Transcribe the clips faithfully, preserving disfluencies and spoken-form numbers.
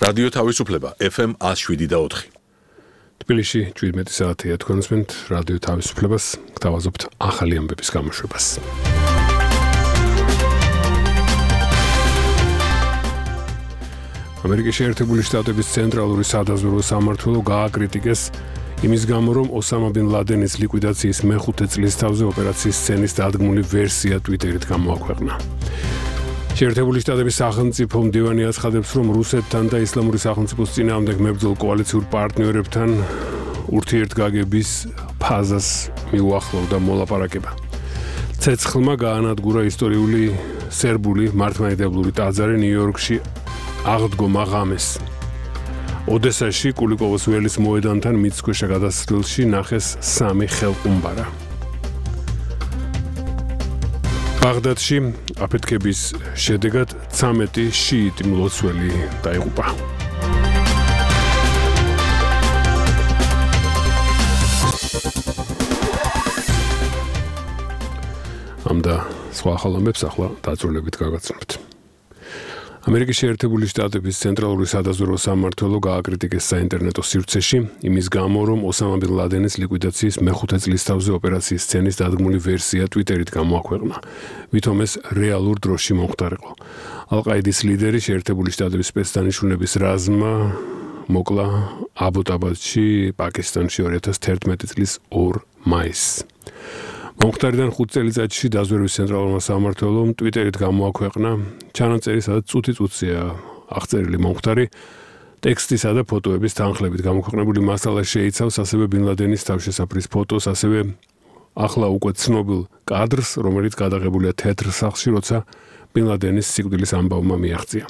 რადიო თავისუფლება ეფ ემ one oh seven და four. თბილისში შვიდმეტი საათია თქვენს მენთ რადიო თავისუფლებას გთავაზობთ ახალი ამბების გამოშვებას. ამერიკის შეერთებული შტატების ცენტრალური სადაზვერვო სამმართველო გააკრიტიკეს იმის გამო, რომ ოსამა ბინ ლადენის ლიკვიდაციის მეხუთე წლის თავზე ოპერაციის სცენის დადგმული ვერსია ტვიტერით გამოაქვეყნა. შეერთებული შტატების სახელმწიფო მდივანი აცხადებს, რომ რუსეთთან და ისლამური სახელმწიფოს წინააღმდეგ მებრძოლ კოალიციურ პარტნიორებთან ურთიერთგაგების ფაზას მიუახლოვდა მოლაპარაკება. ცეცხლმა გაანადგურა ისტორიული სერბული მართლმადიდებლური ტაძარი ნიუ-იორკში აღდგომა ღამეს. ოდესაში კულიკოვოს ველის მოედანთან მიწისქვეშა გადასასვლელში ნახეს სამი ხელყუმბარა. ბაღდადში აფეთქების შედეგად ცამეტი შიიტი მლოცველი დაიღუპა. ამ და სხვა ახალ ამბებს ახლა დაწვრილებით გაგაცნობთ. ამერიკის შეერთებული შტატების ცენტრალური სადაზვერვო სამმართველო გააკრიტიკეს საინტერნეტო სივრცეში იმის გამო, რომ ოსამა ბინ ლადენის ლიკვიდაციის მეხუთე წლის თავზე ოპერაციის სცენის დადგმული ვერსია ტვიტერით გამოაქვეყნა. ვითომ ეს რეალურ დროში მომხდარიყო. ალ-ყაიდის ლიდერი შეერთებული შტატების სპეცდანიშნულების რაზმმა მოკლა აბოტაბადში, პაკისტანში ორი ათას თერთმეტი წლის ორ მაისს. მომხდარიდან ხუთ წელიწადში დაზვერვის ცენტრალურმა სამმართველომ ტვიტერით გამოაქვეყნა ჩანაწერი, სადაც წუთი-წუთია აღწერილი მომხდარი ტექსტისა და ფოტოების თანხლებით გამოქვეყნებული მასალა შეიცავს ასევე ბინ ლადენის თავშესაფრის ფოტოს, ასევე ახლა უკვე ცნობილ კადრს, რომელიც გადაღებულია თეთრ სახლში, როცა ბინ ლადენის სიკვდილის ამბავმა მიაღწია.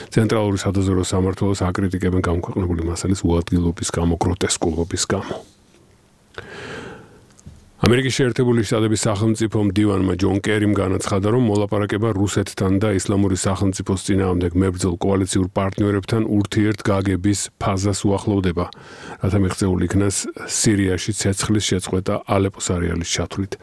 ცენტრალური სადაზვერვო სამმართველოს აკრიტიკებენ გამოქვეყნებული მასალის უადგილობის გამო, გროტესკულობის გამო. ამერიკის შეერთებული შტატების სახელმწიფო მდივანმა ჯონ კერიმ განაცხადა, რომ მოლაპარაკება რუსეთთან და ისლამური სახელმწიფოს წინააღმდეგ მებრძოლ კოალიციურ პარტნიორებთან ურთიერთგაგების ფაზას უახლოვდება, რათა მიღწეული იქნას სირიაში ცეცხლის შეწყვეტა ალეპოს არეალის ჩათვლით.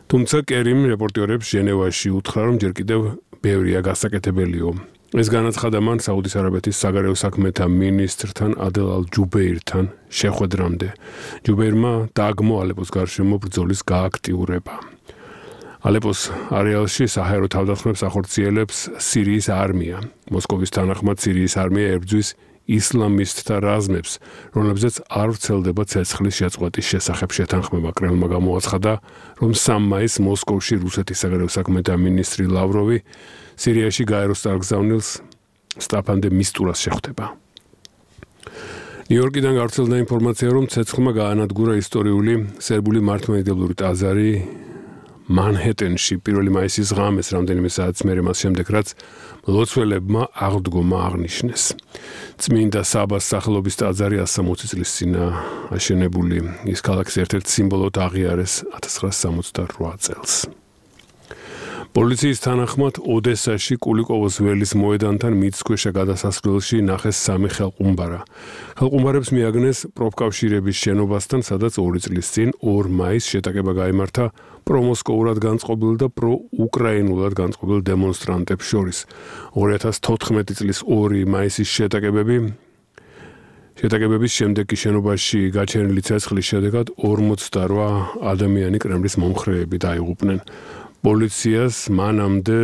თუმცა კერიმ რეპორტიორებს ჟენევაში უთხრა, რომ ჯერ კიდევ ბევრია გასაკეთებელიო. ეს განაცხადა მან საუდის არაბეთის საგარეო საქმეთა მინისტრთან ადელ ალ-ჯუბეირთან შეხვედრამდე. ჯუბეირმა დააგმო ალეპოს გარშემო ბრძოლის გააქტიურება. ალეპოს არეალში საჰაერო თავდასხმებს ახორციელებს სირიის არმია. მოსკოვის თანახმად სირიის არმია ებრძვის ისლამისტთა რაზმებს, რომლებზეც არ ვრცელდება ცეცხლის შეწყვეტის შესახებ შეთანხმება. კრემლმა გამოაცხადა, რომ სამი მაისს მოსკოვში რუსეთის საგარეო საქმეთა მინისტრი ლავროვი სირიაში გაეროს წარგზავნილს სტაფან დე მისტურას შეხვდება. ნიუ-იორკიდან გავრცელდა ინფორმაცია, რომ ცეცხლმა გაანადგურა ისტორიული სერბული მართლმადიდებლური ტაძარი მანჰეტენში პირველი მაისის ღამეს, რამდენიმე საათის მერე მას შემდეგ, რაც მლოცველებმა აღდგომა აღნიშნეს. წმინდა საბას სახელობის ტაძარი ასამოცი წლის წინ აშენებული, ის ქალაქის ერთ-ერთ სიმბოლოდ აღიარეს ათას ცხრაასი სამოცდარვა წელს. პოლიციის თანახმად ოდესაში კულიკოვოს ველის მოედანთან მიწისქვეშა გადასასვლელში ნახეს სამი ხელყუმბარა. ხელყუმბარებს მიაგნეს პროფკავშირების შენობასთან, სადაც ორი წლის წინ ორ მაისს შეტაკება გაიმართა პრომოსკოურად განწყობილ და პროუკრაინულად განწყობილ დემონსტრანტებს შორის. ორი ათას თოთხმეტი წლის ორი მაისის შეტაკებები შეტაკებების შემდეგ კი შენობაში გაჩენილი ცეცხლის შედეგად ორმოცდარვა ადამიანი კრემლის მომხრეები დაიღუპნენ. პოლიციას მანამდე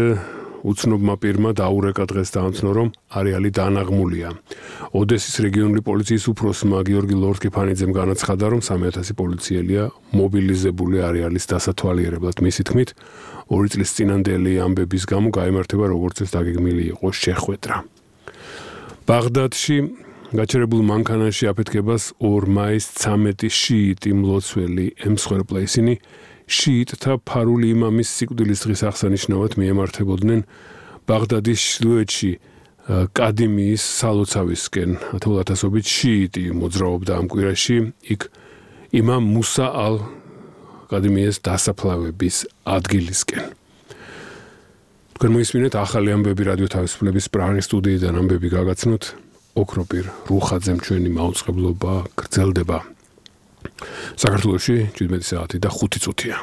უცნობმა პირმა დაურეკა დღეს დაამცნო, რომ არეალი დანაღმულია. ოდესის რეგიონული პოლიციის უფროსმა გიორგი ლორთქიფანიძემ განაცხადა, რომ სამი ათასი პოლიციელია მობილიზებული არეალის დასათვალიერებლად. მისი თქმით, ორი წლის წინანდელი ამბების გამო გაიმართება, როგორც ეს დაგეგმილი იყო შეხვედრა. ბაღდადში გაჩერებულ მანქანაში აფეთქებას ორ მაისს ცამეტი შიიტი მლოცველი ემსხვერპლა. ისინი შიიტთა ფარული იმამის სიკვდილის დღის აღსანიშნავად მიემართებოდნენ ბაღდადის ჩრდილოეთში კადიმიის სალოცავისკენ. ათეულათასობით შიიტი მოძრაობდა ამ კვირაში იქ იმამ მუსა ალ კადიმიეს დასაფლავების ადგილისკენ. თქვენ მოისმინეთ ახალი ამბები რადიო თავისუფლების პრაღის სტუდიიდან ამბები გაგაცნოთ. ოქროპირ რუხაძემ ჩვენი მაუწყებლობა გრძელდება. საქართველოში შვიდმეტი საათი და ხუთი წუთია.